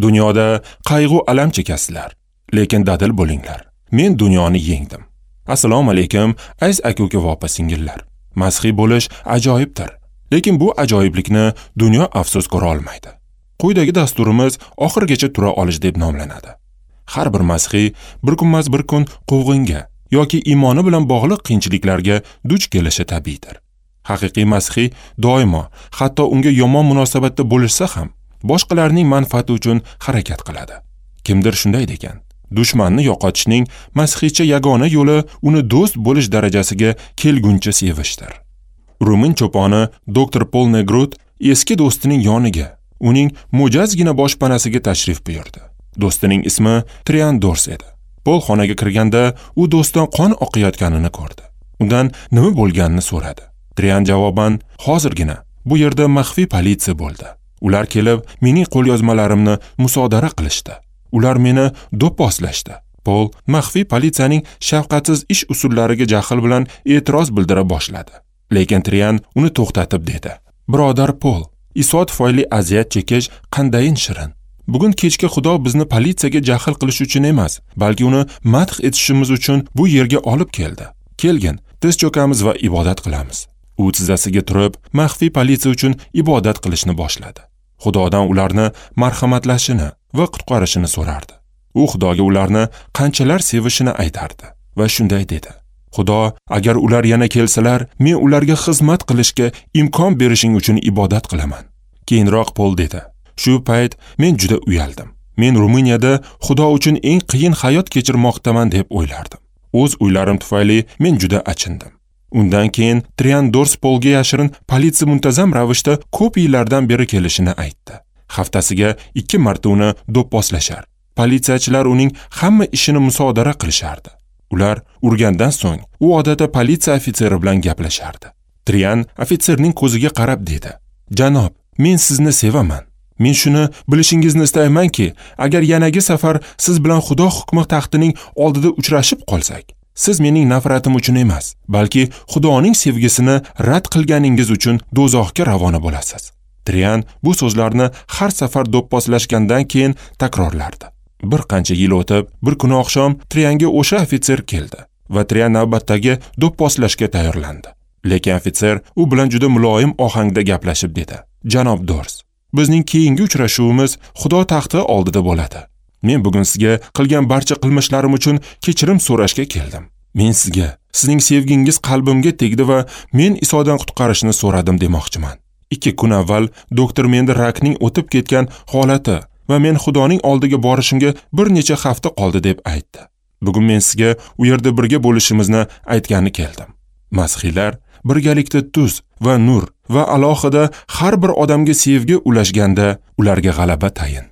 Dunyoda qayg'u alam chekasizlar, lekin dadil bo'linglar. Men dunyoni yengdim. Assalomu alaykum, aziz aka-uka va opa-singillar. Masihiy bo'lish ajoyibdir, lekin bu ajoyiblikni dunyo afsus ko'ra olmaydi. Quyidagi dasturimiz oxirigacha tura olish deb nomlanadi. Har bir masihiy bir kunmas bir kun quvg'inga yoki iymoni bilan bog'liq qiyinchiliklarga duch kelishi tabiiydir. Haqiqiy masihiy doimo, hatto unga yomon munosabatda bo'lishsa ham, boshqalarning manfaati uchun harakat qiladi. Kimdir shunday degan: dushmanni yo'qotishning masihiycha yagona yo'li uni do'st bo'lish darajasiga kelguncha sevishdir. Rumin cho'poni doktor Pol Negrut eski do'stining yoniga, uning mo'jazgina boshpanasiga tashrif buyurdi. Do'stining ismi Trian Dors edi. Pol xonaga kirganda u do'stdan qon oqayotganini ko'rdi. Undan nima bo'lganini so'radi. Trian javoban: "Hozirgina bu yerda maxfiy politsiya bo'ldi. Ular kelib mening qo'lyozmalarimni musodara qilishdi. Ular meni do'pposlashdi." Pol maxfiy politsiyaning shafqatsiz ish usullariga jahl bilan e'tiroz bildira boshladi. Lekin Trian uni to'xtatib dedi: "Birodar Pol, Iso tufayli aziyat chekish qandayin shirin. Bugun kechki Xudo bizni politsiyaga jahl qilish uchun emas, balki uni madh etishimiz uchun bu yerga olib keldi. Kelgin, tiz cho'kamiz va ibodat qilamiz." U tizzasiga turib, maxfiy politsiya uchun ibodat qilishni boshladi. Xudodan ularni marhamatlashini va qutqarishini so'rardi. U Xudoga ularni qanchalar sevishini aytardi va shunday dedi: "Xudo, agar ular yana kelsalar, men ularga xizmat qilishga imkon berishing uchun ibodat qilaman." Keyinroq Pol dedi: "Shu payt men juda uyaldim. Men Ruminiyada Xudo uchun eng qiyin hayot kechirmoqdaman deb o'ylardim. O'z o'ylarim tufayli men juda achindim." Undan keyin Trian Dors Polga yashirin politsiya muntazam ravishda ko'p yillardan beri kelishini aytdi. Haftasiga 2 marta uni do'pposlashar. Politsiyachilar uning hamma ishini musodara qilishardi. Ular urgandan so'ng u odatda politsiya ofitseri bilan gaplashardi. Trian ofitserning ko'ziga qarab dedi: "Janob, men sizni sevaman. Men shuni bilishingizni istaymanki, agar yanagi safar siz bilan Xudo hukmi taxtining oldida uchrashib qolsak, siz mening nafratim uchun emas, balki Xudoning sevgisini rad qilganingiz uchun do'zaxga ravona bo'lasiz." Trian bu so'zlarni har safar do'pposlashgandan keyin takrorlardi. Bir qancha yil o'tib, bir kuni oqshom Trianga o'sha ofitser keldi va Trian navbatdagi do'pposlashga tayyorlandi. Lekin ofitser u bilan juda muloyim ohangda gaplashib dedi: "Janob Dors, bizning keyingi uchrashuvimiz Xudo taxti oldida bo'ladi. Men bugun sizga qilgan barcha qilmishlarim uchun kechirim so'rashga keldim. Men sizga, sizning sevgingiz qalbimga tegdi va men Isodan qutqarishni so'radim demoqchiman. 2 kun avval doktor menda rakning o'tib ketgan holati va men Xudoning oldiga borishimga bir necha hafta qoldi deb aytdi. Bugun men sizga u yerda birga bo'lishimizni aytgani keldim." Masihiylar birgalikda tuz va nur va alohida har bir odamga sevgi ulashganda ularga g'alaba tayin.